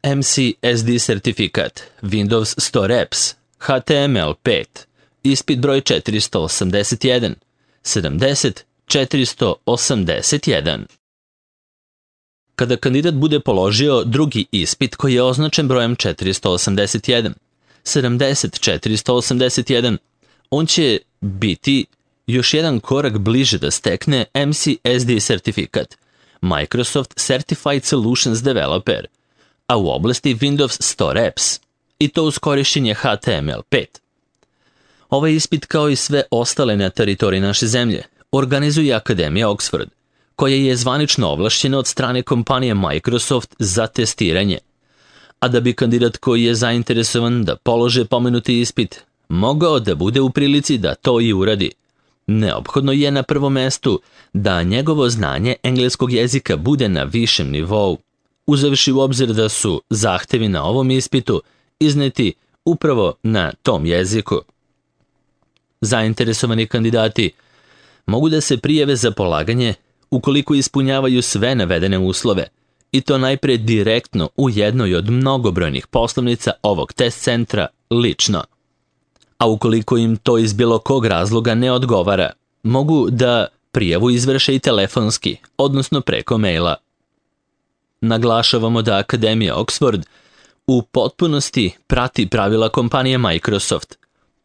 MCSD sertifikat, Windows Store Apps, HTML5, ispit broj 481, 70 481. Kada kandidat bude položio drugi ispit koji je označen brojem 481, 70 481, on će biti još jedan korak bliže da stekne MCSD sertifikat, Microsoft Certified Solutions Developer, a u oblasti Windows Store Apps, i to uz korišćenje HTML5. Ovaj ispit, kao i sve ostale na teritoriji naše zemlje, organizuje Akademija Oxford, koja je zvanično ovlašćena od strane kompanije Microsoft za testiranje. A da bi kandidat koji je zainteresovan da polože pomenuti ispit mogao da bude u prilici da to i uradi, neophodno je na prvom mestu da njegovo znanje engleskog jezika bude na višem nivou, uzevši u obzir da su zahtevi na ovom ispitu izneti upravo na tom jeziku. Zainteresovani kandidati mogu da se prijave za polaganje ukoliko ispunjavaju sve navedene uslove, i to najpre direktno u jednoj od mnogobrojnih poslovnica ovog test centra lično. A ukoliko im to iz bilo kog razloga ne odgovara, mogu da prijavu izvrše i telefonski, odnosno preko maila. Naglašavamo da Akademija Oxford u potpunosti prati pravila kompanije Microsoft,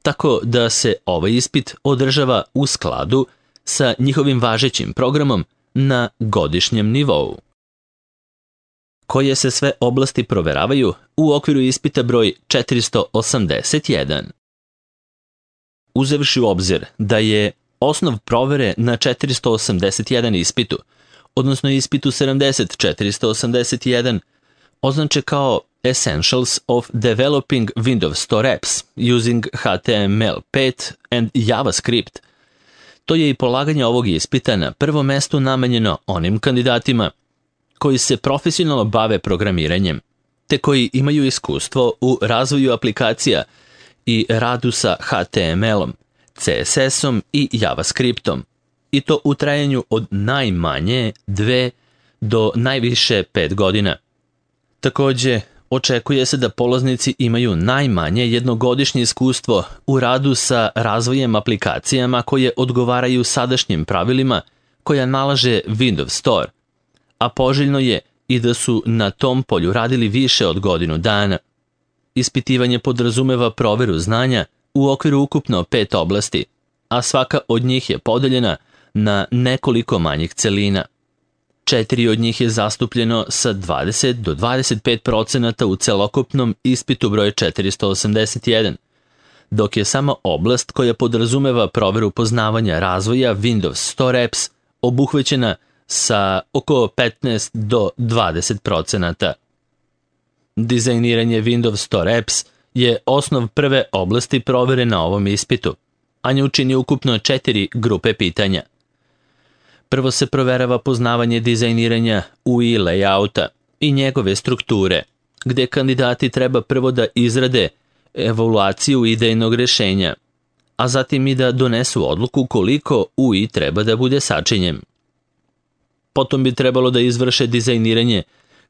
tako da se ovaj ispit održava u skladu sa njihovim važećim programom na godišnjem nivou. Koje se sve oblasti proveravaju u okviru ispita broj 481. Uzevši u obzir da je osnov provere na 481 ispitu, odnosno ispitu 70 481, označe kao Essentials of Developing Windows Store Apps using HTML5 and JavaScript, to je i polaganje ovog ispita na prvom mestu namenjeno onim kandidatima koji se profesionalno bave programiranjem, te koji imaju iskustvo u razvoju aplikacija i radu sa HTML-om, CSS-om i JavaScriptom, i to u trajanju od najmanje 2 do najviše 5 godina. Takođe, očekuje se da polaznici imaju najmanje jednogodišnje iskustvo u radu sa razvojem aplikacijama koje odgovaraju sadašnjim pravilima koja nalaže Windows Store, a poželjno je i da su na tom polju radili više od godinu dana. Ispitivanje podrazumeva proveru znanja u okviru ukupno 5 oblasti, a svaka od njih je podeljena na nekoliko manjih celina. 4 od njih je zastupljeno sa 20 do 25% u celokupnom ispitu broj 481, dok je samo oblast koja podrazumeva proveru poznavanja razvoja Windows Store Apps obuhvećena sa oko 15 do 20%. Dizajniranje Windows Store Apps je osnov prve oblasti provere na ovom ispitu, a nju čini ukupno 4 grupe pitanja. Prvo se proverava poznavanje dizajniranja UI layouta i njegove strukture, gde kandidati treba prvo da izrade evaluaciju idejnog rešenja, a zatim i da donesu odluku koliko UI treba da bude sačinjen. Potom bi trebalo da izvrše dizajniranje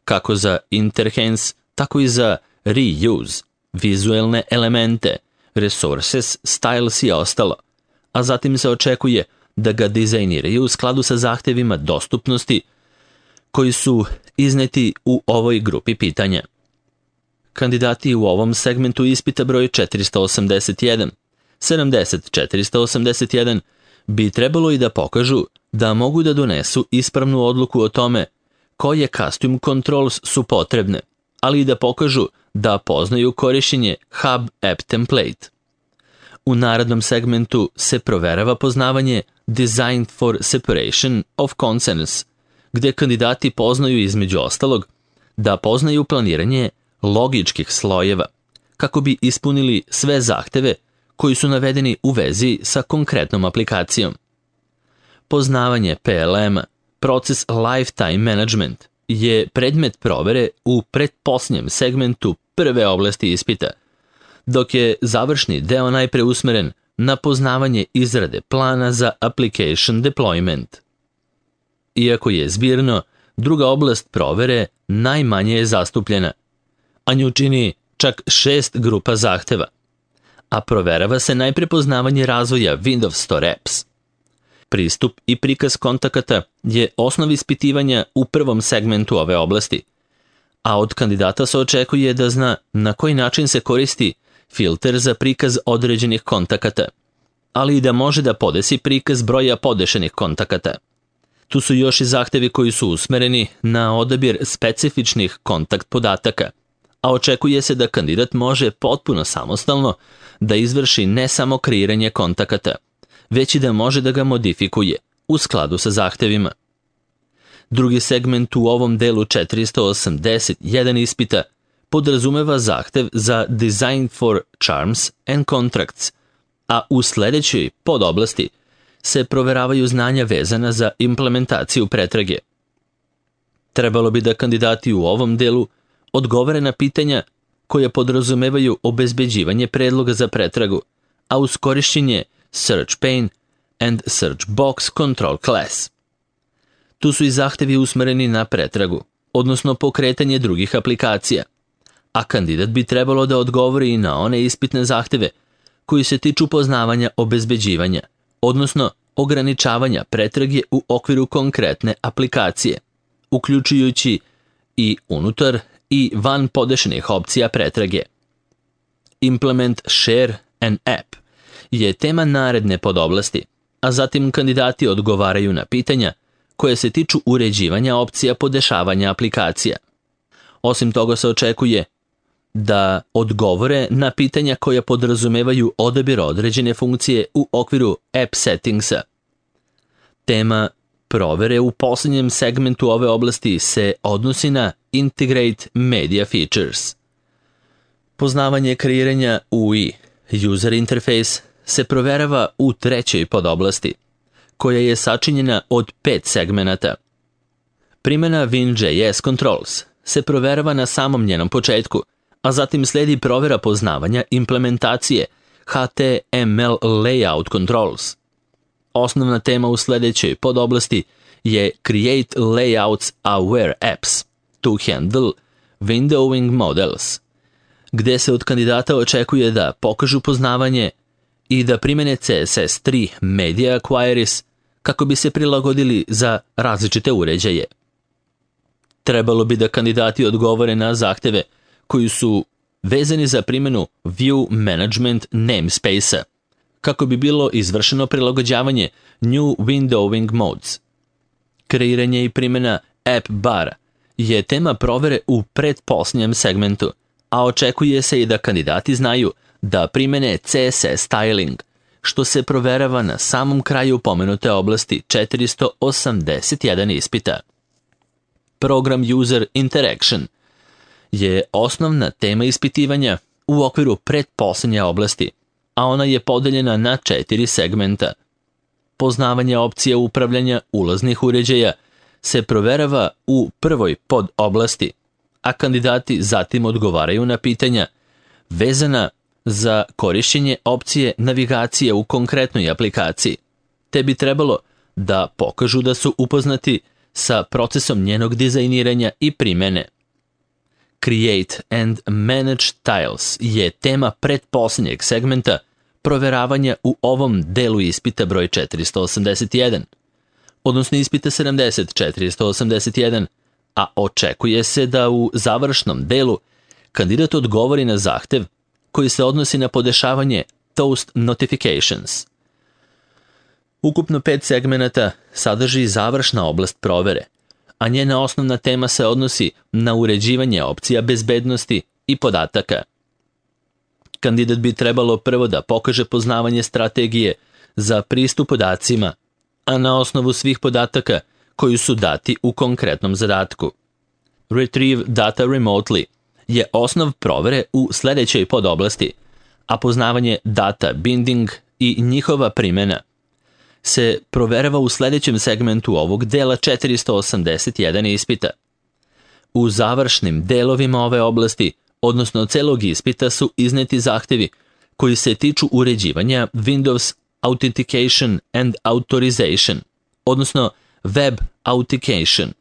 kako za interhance, tako i za reuse, vizuelne elemente, resources, styles i ostalo, a zatim se očekuje da ga dizajniraju u skladu sa zahtevima dostupnosti koji su izneti u ovoj grupi pitanja. Kandidati u ovom segmentu ispita broj 481, 70 481 bi trebalo i da pokažu da mogu da donesu ispravnu odluku o tome koje custom controls su potrebne, ali i da pokažu da poznaju korišćenje Hub App Template. U narednom segmentu se proverava poznavanje Designed for Separation of Concerns, gde kandidati poznaju između ostalog da poznaju planiranje logičkih slojeva, kako bi ispunili sve zahteve koji su navedeni u vezi sa konkretnom aplikacijom. Poznavanje PLM-a, proces Lifetime Management, je predmet provere u pretposljednjem segmentu prve oblasti ispita, dok je završni deo najpre usmeren na poznavanje izrade plana za application deployment. Iako je zbirno, druga oblast provere najmanje je zastupljena, a nju čini čak 6 grupa zahteva, a proverava se najprepoznavanje razvoja Windows Store Apps. Pristup i prikaz kontakata je osnov ispitivanja u prvom segmentu ove oblasti, a od kandidata se očekuje da zna na koji način se koristi filter za prikaz određenih kontakata, ali i da može da podesi prikaz broja podešenih kontakata. Tu su još i zahtevi koji su usmereni na odabir specifičnih kontakt podataka, a očekuje se da kandidat može potpuno samostalno da izvrši ne samo kreiranje kontakata, već i da može da ga modifikuje u skladu sa zahtevima. Drugi segment u ovom delu 481 ispita podrazumeva zahtev za Design for Charms and Contracts, a u sledećoj podoblasti se proveravaju znanja vezana za implementaciju pretrage. Trebalo bi da kandidati u ovom delu odgovore na pitanja koja podrazumevaju obezbeđivanje predloga za pretragu, a uz korišćenje Search Pane and Search Box Control Class. Tu su i zahtevi usmereni na pretragu, odnosno pokretanje drugih aplikacija, a kandidat bi trebalo da odgovori i na one ispitne zahteve koji se tiču poznavanja obezbeđivanja, odnosno ograničavanja pretrage u okviru konkretne aplikacije, uključujući i unutar i van podešenih opcija pretrage. Implement Share an App je tema naredne podoblasti, a zatim kandidati odgovaraju na pitanja koje se tiču uređivanja opcija podešavanja aplikacija. Osim toga se očekuje da odgovore na pitanja koja podrazumevaju odabir određene funkcije u okviru App Settingsa. Tema provere u posljednjem segmentu ove oblasti se odnosi na Integrate Media Features. Poznavanje kreiranja UI, User Interface, se proverava u trećoj podoblasti, koja je sačinjena od 5 segmenata. Primjena Vim.js Controls se proverava na samom njenom početku, a zatim sledi provera poznavanja implementacije HTML Layout Controls. Osnovna tema u sledećoj podoblasti je Create Layouts Aware Apps to Handle Windowing Models, gde se od kandidata očekuje da pokažu poznavanje i da primene CSS3 Media Queries kako bi se prilagodili za različite uređaje. Trebalo bi da kandidati odgovore na zahteve koji su vezani za primjenu View Management Namespace-a, kako bi bilo izvršeno prilagođavanje New Windowing Modes. Kreiranje i primjena App Bar je tema provere u pretposljednjem segmentu, a očekuje se i da kandidati znaju da primjene CSS Styling, što se proverava na samom kraju pomenute oblasti 481 ispita. Program User Interaction je osnovna tema ispitivanja u okviru pretposljednje oblasti, a ona je podeljena na 4 segmenta. Poznavanje opcija upravljanja ulaznih uređaja se proverava u prvoj podoblasti, a kandidati zatim odgovaraju na pitanja vezana za korišćenje opcije navigacije u konkretnoj aplikaciji, te bi trebalo da pokažu da su upoznati sa procesom njenog dizajniranja i primene. Create and Manage Tiles je tema pretposljednjeg segmenta proveravanja u ovom delu ispita broj 481, odnosno ispita 70-481, a očekuje se da u završnom delu kandidat odgovori na zahtev koji se odnosi na podešavanje Toast Notifications. Ukupno 5 segmenata sadrži završna oblast provere, a njena osnovna tema se odnosi na uređivanje opcija bezbednosti i podataka. Kandidat bi trebalo prvo da pokaže poznavanje strategije za pristup podacima, a na osnovu svih podataka koji su dati u konkretnom zadatku. Retrieve Data Remotely je osnov provere u sledećoj podoblasti, a poznavanje data binding i njihova primjena se proverava u sledećem segmentu ovog dela 481 ispita. U završnim delovima ove oblasti, odnosno celog ispita, su izneti zahtevi koji se tiču uređivanja Windows Authentication and Authorization, odnosno Web Authentication.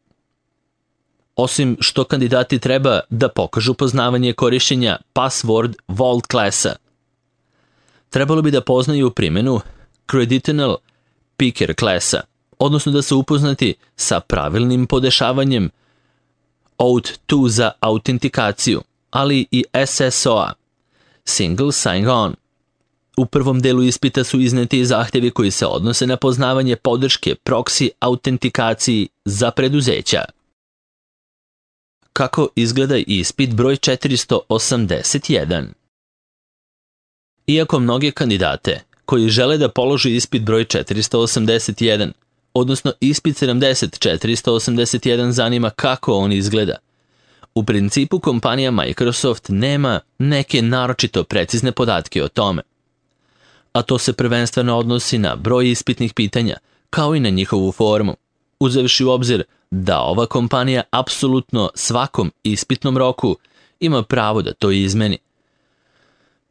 osim što kandidati treba da pokažu poznavanje korišćenja Password Vault klasa. Trebalo bi da poznaju primjenu Creditional Picker klasa, odnosno da su upoznati sa pravilnim podešavanjem Auth2 za autentikaciju, ali i SSO-a, Single Sign-On. U prvom delu ispita su izneti zahtjevi koji se odnose na poznavanje podrške proxy autentikaciji za preduzeća. Kako izgleda ispit broj 481? Iako mnoge kandidate koji žele da položi ispit broj 481, odnosno ispit 481 zanima kako on izgleda, u principu kompanija Microsoft nema neke naročito precizne podatke o tome. A to se prvenstveno odnosi na broj ispitnih pitanja, kao i na njihovu formu, uzevši u obzir da ova kompanija apsolutno svakom ispitnom roku ima pravo da to izmeni.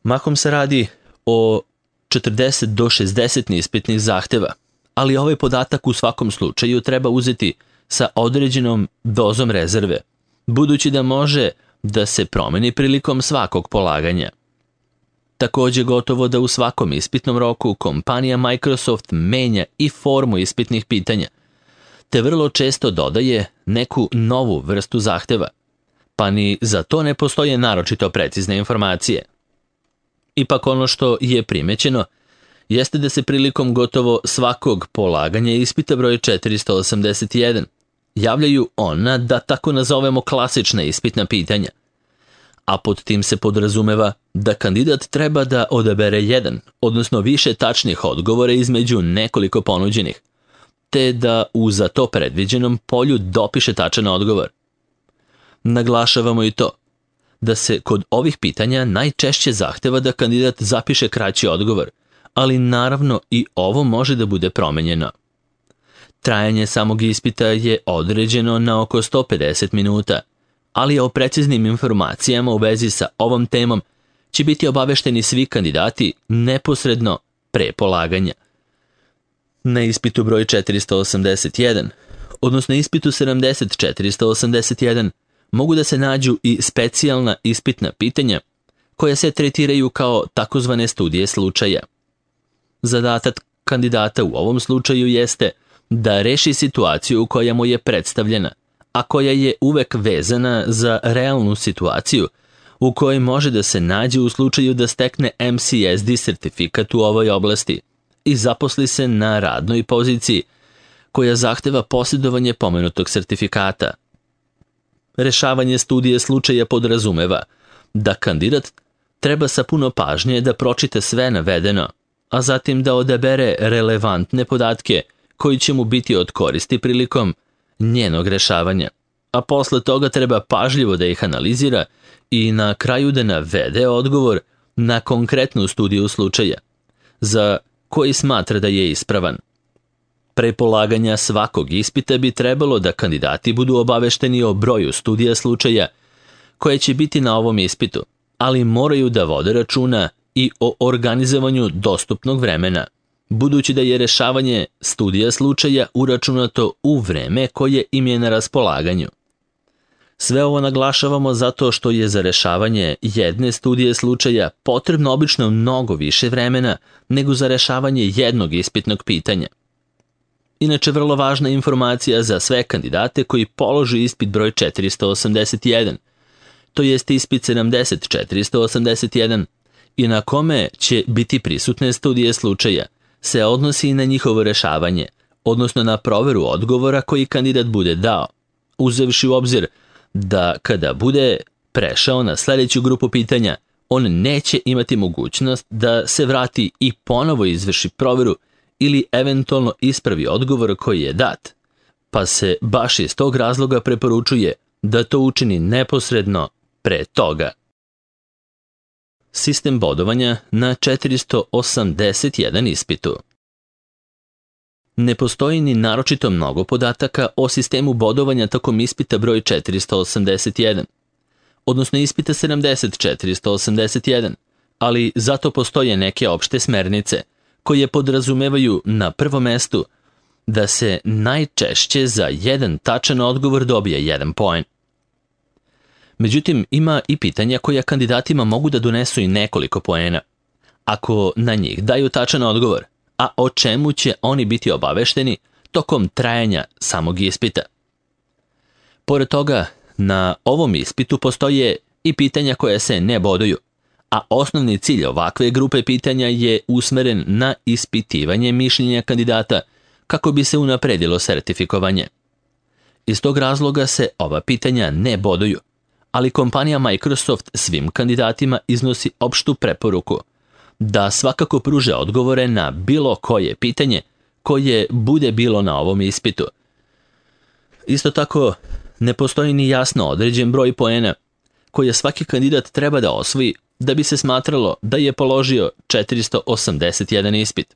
Mahom se radi o 40 do 60 ispitnih zahteva, ali ovaj podatak u svakom slučaju treba uzeti sa određenom dozom rezerve, budući da može da se promeni prilikom svakog polaganja. Također gotovo da u svakom ispitnom roku kompanija Microsoft menja i formu ispitnih pitanja, te vrlo često dodaje neku novu vrstu zahteva, pa ni za to ne postoje naročito precizne informacije. Ipak ono što je primećeno jeste da se prilikom gotovo svakog polaganja ispita broj 481 javljaju ona, da tako nazovemo, klasična ispitna pitanja, a pod tim se podrazumeva da kandidat treba da odabere jedan, odnosno više tačnih odgovora između nekoliko ponuđenih, te da u za to predviđenom polju dopiše tačan odgovor. Naglašavamo i to da se kod ovih pitanja najčešće zahteva da kandidat zapiše kraći odgovor, ali naravno i ovo može da bude promenjeno. Trajanje samog ispita je određeno na oko 150 minuta, ali o preciznim informacijama u vezi sa ovom temom će biti obavešteni svi kandidati neposredno pre polaganja. Na ispitu broj 481, odnosno ispitu 481, mogu da se nađu i specijalna ispitna pitanja koja se tretiraju kao takozvane studije slučaja. Zadatak kandidata u ovom slučaju jeste da reši situaciju koja mu je predstavljena, a koja je uvek vezana za realnu situaciju u kojoj može da se nađe u slučaju da stekne MCSD sertifikat u ovoj oblasti i zaposli se na radnoj poziciji koja zahteva posjedovanje pomenutog sertifikata. Rešavanje studije slučaja podrazumeva da kandidat treba sa puno pažnje da pročita sve navedeno, a zatim da odabere relevantne podatke koji će mu biti od koristi prilikom njenog rešavanja, a posle toga treba pažljivo da ih analizira i na kraju da navede odgovor na konkretnu studiju slučaja, za koji smatra da je ispravan. Pre polaganja svakog ispita bi trebalo da kandidati budu obavešteni o broju studija slučaja koje će biti na ovom ispitu, ali moraju da vode računa i o organizovanju dostupnog vremena, budući da je rešavanje studija slučaja uračunato u vreme koje im je na raspolaganju. Sve ovo naglašavamo zato što je za rešavanje jedne studije slučaja potrebno obično mnogo više vremena nego za rešavanje jednog ispitnog pitanja. Inače, vrlo važna informacija za sve kandidate koji položi ispit broj 481, to jest ispit 481, i na kome će biti prisutne studije slučaja, se odnosi i na njihovo rešavanje, odnosno na proveru odgovora koji kandidat bude dao, uzevši u obzir da kada bude prešao na sljedeću grupu pitanja, on neće imati mogućnost da se vrati i ponovo izvrši proveru ili eventualno ispravi odgovor koji je dat, pa se baš iz tog razloga preporučuje da to učini neposredno pre toga. Sistem bodovanja na 481 ispitu. Ne postoji ni naročito mnogo podataka o sistemu bodovanja tokom ispita broj 481, odnosno ispita 481, ali zato postoje neke opšte smernice koje podrazumevaju na prvom mestu da se najčešće za jedan tačan odgovor dobije 1 poen. Međutim, ima i pitanja koja kandidatima mogu da donesu i nekoliko poena. Ako na njih daju tačan odgovor, a o čemu će oni biti obavešteni tokom trajanja samog ispita. Pored toga, na ovom ispitu postoje i pitanja koja se ne boduju, a osnovni cilj ovakve grupe pitanja je usmeren na ispitivanje mišljenja kandidata kako bi se unapredilo sertifikovanje. Iz tog razloga se ova pitanja ne boduju, ali kompanija Microsoft svim kandidatima iznosi opštu preporuku da svakako pruže odgovore na bilo koje pitanje koje bude bilo na ovom ispitu. Isto tako, ne postoji ni jasno određen broj poena koje svaki kandidat treba da osvoji da bi se smatralo da je položio 481 ispit.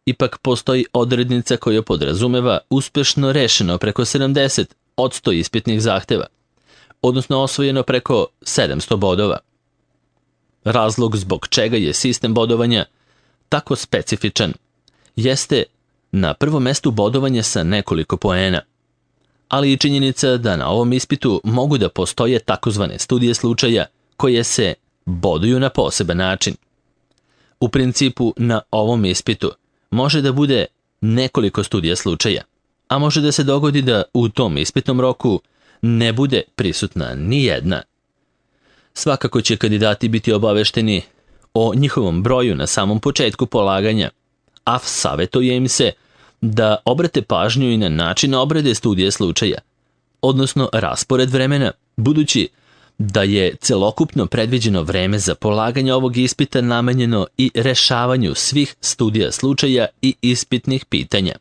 Ipak postoji odrednica koja podrazumeva uspešno rešeno preko 70% ispitnih zahteva, odnosno osvojeno preko 700 bodova. Razlog zbog čega je sistem bodovanja tako specifičan jeste na prvom mestu bodovanje sa nekoliko poena, ali i činjenica da na ovom ispitu mogu da postoje takozvane studije slučaja koje se boduju na poseban način. U principu na ovom ispitu može da bude nekoliko studija slučaja, a može da se dogodi da u tom ispitnom roku ne bude prisutna ni jedna. Svakako će kandidati biti obavešteni o njihovom broju na samom početku polaganja, a savjetuje im se da obrate pažnju i na način obrade studije slučaja, odnosno raspored vremena, budući da je celokupno predviđeno vreme za polaganje ovog ispita namenjeno i rešavanju svih studija slučaja i ispitnih pitanja.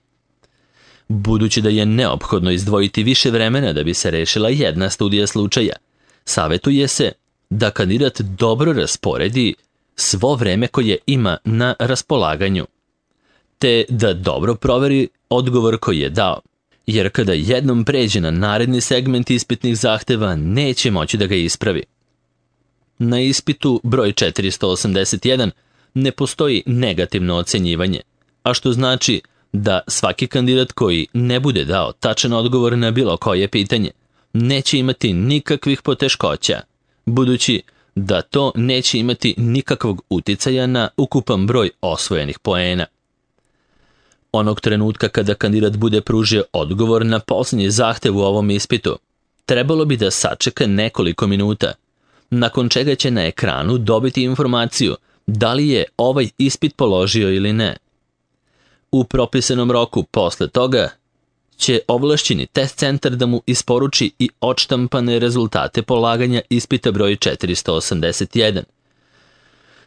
Budući da je neophodno izdvojiti više vremena da bi se rešila jedna studija slučaja, savjetuje se da kandidat dobro rasporedi svo vreme koje ima na raspolaganju, te da dobro proveri odgovor koji je dao, jer kada jednom pređe na naredni segment ispitnih zahteva, neće moći da ga ispravi. Na ispitu broj 481 ne postoji negativno ocenjivanje, a što znači da svaki kandidat koji ne bude dao tačan odgovor na bilo koje pitanje neće imati nikakvih poteškoća, budući da to neće imati nikakvog uticaja na ukupan broj osvojenih poena. Onog trenutka kada kandidat bude pružio odgovor na posljednji zahtev u ovom ispitu, trebalo bi da sačeka nekoliko minuta, nakon čega će na ekranu dobiti informaciju da li je ovaj ispit položio ili ne. U propisanom roku posle toga će ovlašćeni test centar da mu isporuči i odštampane rezultate polaganja ispita broj 481.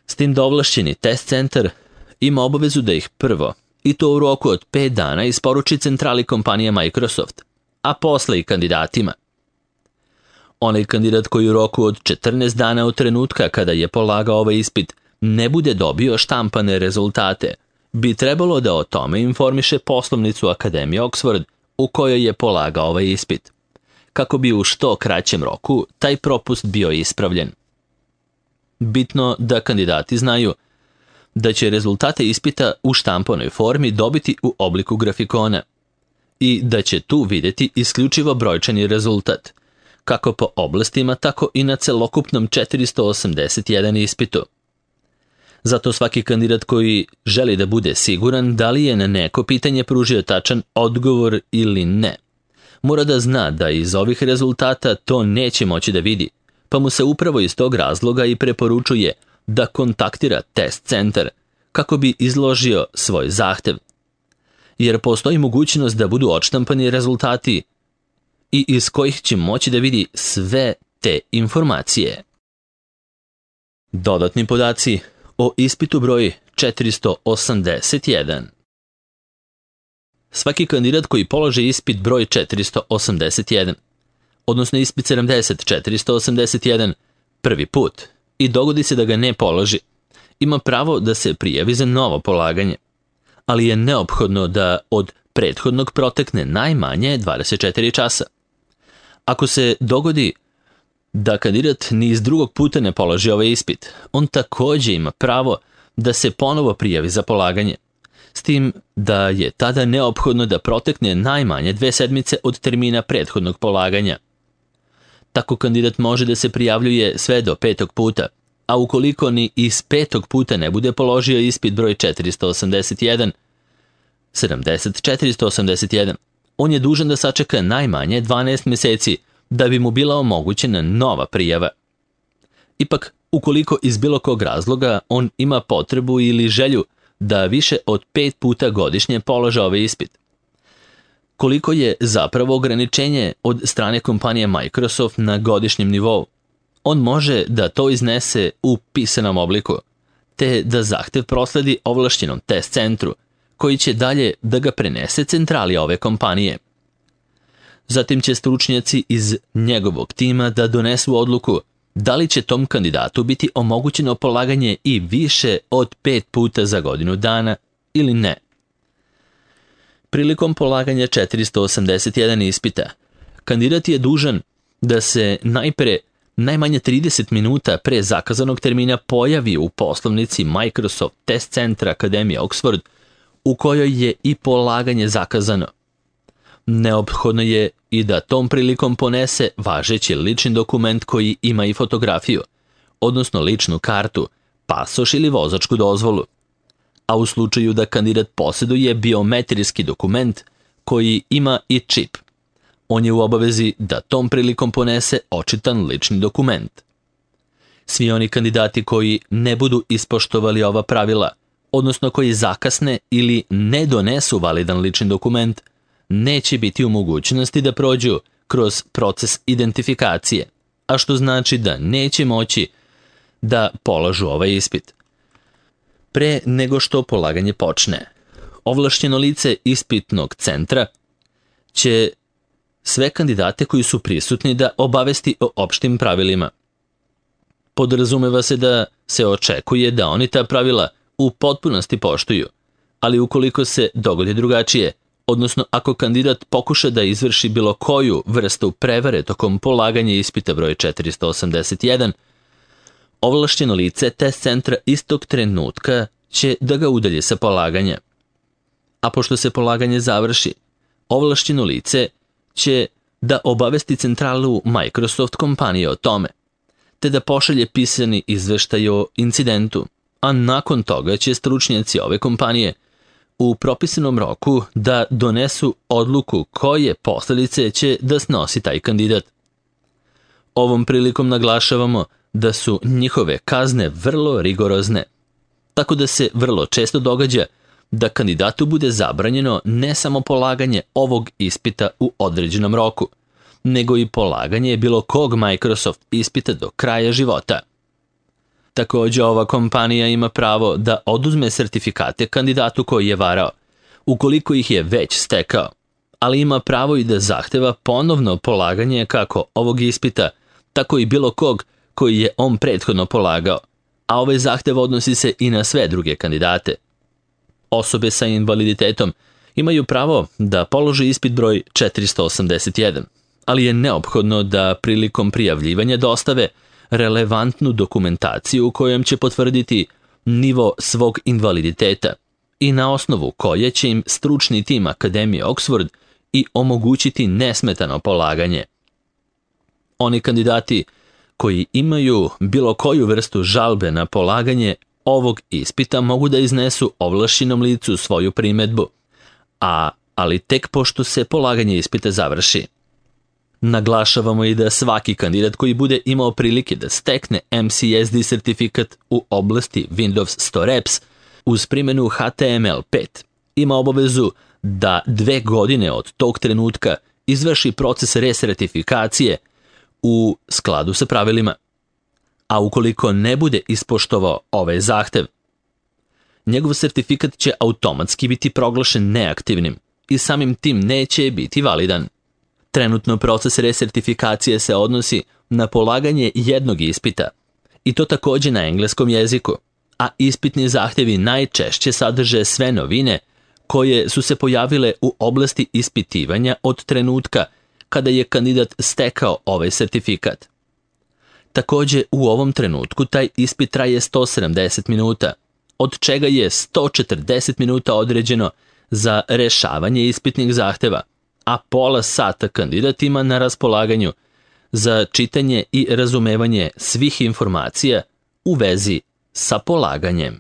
S tim da ovlašćeni test centar ima obavezu da ih prvo, i to u roku od 5 dana, isporuči centrali kompanije Microsoft, a posle i kandidatima. Onaj kandidat koji u roku od 14 dana od trenutka kada je polagao ovaj ispit ne bude dobio štampane rezultate, bi trebalo da o tome informiše poslovnicu Akademije Oxford u kojoj je polagao ovaj ispit, kako bi u što kraćem roku taj propust bio ispravljen. Bitno da kandidati znaju da će rezultate ispita u štampanoj formi dobiti u obliku grafikona i da će tu vidjeti isključivo brojčani rezultat, kako po oblastima, tako i na celokupnom 481 ispitu. Zato svaki kandidat koji želi da bude siguran da li je na neko pitanje pružio tačan odgovor ili ne, mora da zna da iz ovih rezultata to neće moći da vidi, pa mu se upravo iz tog razloga i preporučuje da kontaktira test centar kako bi izložio svoj zahtev, jer postoji mogućnost da budu odštampani rezultati i iz kojih će moći da vidi sve te informacije. Dodatni podaci o ispitu broj 481. Svaki kandidat koji položi ispit broj 481, odnosno ispit 481 prvi put i dogodi se da ga ne položi, ima pravo da se prijavi za novo polaganje, ali je neophodno da od prethodnog protekne najmanje 24 časa. Ako se dogodi da kandidat ni iz drugog puta ne položi ovaj ispit, on također ima pravo da se ponovo prijavi za polaganje, s tim da je tada neophodno da protekne najmanje 2 sedmice od termina prethodnog polaganja. Tako kandidat može da se prijavljuje sve do 5. puta, a ukoliko ni iz 5. puta ne bude položio ispit broj 481, on je dužan da sačeka najmanje 12 meseci da bi mu bila omogućena nova prijava. Ipak, ukoliko iz bilo kog razloga on ima potrebu ili želju da više od 5 puta godišnje polaže ovaj ispit, koliko je zapravo ograničenje od strane kompanije Microsoft na godišnjem nivou, on može da to iznese u pisanom obliku, te da zahtev prosledi ovlašćenom test centru, koji će dalje da ga prenese centrali ove kompanije. Zatim će stručnjaci iz njegovog tima da donesu odluku da li će tom kandidatu biti omogućeno polaganje i više od 5 puta za godinu dana ili ne. Prilikom polaganja 481 ispita, kandidat je dužan da se najpre najmanje 30 minuta pre zakazanog termina pojavi u poslovnici Microsoft Test Centra Akademije Oxford, u kojoj je i polaganje zakazano. Neophodno je i da tom prilikom ponese važeći lični dokument koji ima i fotografiju, odnosno ličnu kartu, pasoš ili vozačku dozvolu. A u slučaju da kandidat posjeduje biometrijski dokument koji ima i čip, on je u obavezi da tom prilikom ponese očitan lični dokument. Svi oni kandidati koji ne budu ispoštovali ova pravila, odnosno koji zakasne ili ne donesu validan lični dokument, neće biti u mogućnosti da prođu kroz proces identifikacije, a što znači da neće moći da polažu ovaj ispit. Pre nego što polaganje počne, ovlašćeno lice ispitnog centra će sve kandidate koji su prisutni da obavesti o opštim pravilima. Podrazumeva se da se očekuje da oni ta pravila u potpunosti poštuju, ali ukoliko se dogodi drugačije, odnosno ako kandidat pokuša da izvrši bilo koju vrstu prevare tokom polaganja ispita broj 481, ovlašćeno lice test centra istog trenutka će da ga udalji sa polaganja. A pošto se polaganje završi, ovlašćeno lice će da obavesti centralu Microsoft kompanije o tome, te da pošalje pisani izveštaj o incidentu, a nakon toga će stručnjaci ove kompanije u propisanom roku da donesu odluku koje posledice će da snosi taj kandidat. Ovom prilikom naglašavamo da su njihove kazne vrlo rigorozne, tako da se vrlo često događa da kandidatu bude zabranjeno ne samo polaganje ovog ispita u određenom roku, nego i polaganje bilo kog Microsoft ispita do kraja života. Također ova kompanija ima pravo da oduzme sertifikate kandidatu koji je varao, ukoliko ih je već stekao, ali ima pravo i da zahteva ponovno polaganje kako ovog ispita, tako i bilo kog koji je on prethodno polagao, a ovaj zahtev odnosi se i na sve druge kandidate. Osobe sa invaliditetom imaju pravo da polože ispit broj 481, ali je neophodno da prilikom prijavljivanja dostave relevantnu dokumentaciju u kojom će potvrditi nivo svog invaliditeta i na osnovu koje će im stručni tim Akademije Oxford i omogućiti nesmetano polaganje. Oni kandidati koji imaju bilo koju vrstu žalbe na polaganje ovog ispita mogu da iznesu ovlašćenom licu svoju primedbu, ali tek pošto se polaganje ispita završi. Naglašavamo i da svaki kandidat koji bude imao prilike da stekne MCSD sertifikat u oblasti Windows Store Apps uz primjenu HTML5 ima obavezu da 2 godine od tog trenutka izvrši proces resertifikacije u skladu sa pravilima. A ukoliko ne bude ispoštovao ovaj zahtev, njegov sertifikat će automatski biti proglašen neaktivnim i samim tim neće biti validan. Trenutno proces resertifikacije se odnosi na polaganje jednog ispita, i to također na engleskom jeziku, a ispitni zahtjevi najčešće sadrže sve novine koje su se pojavile u oblasti ispitivanja od trenutka kada je kandidat stekao ovaj sertifikat. Također u ovom trenutku taj ispit traje 170 minuta, od čega je 140 minuta određeno za rešavanje ispitnih zahteva, a pola sata kandidat ima na raspolaganju za čitanje i razumevanje svih informacija u vezi sa polaganjem.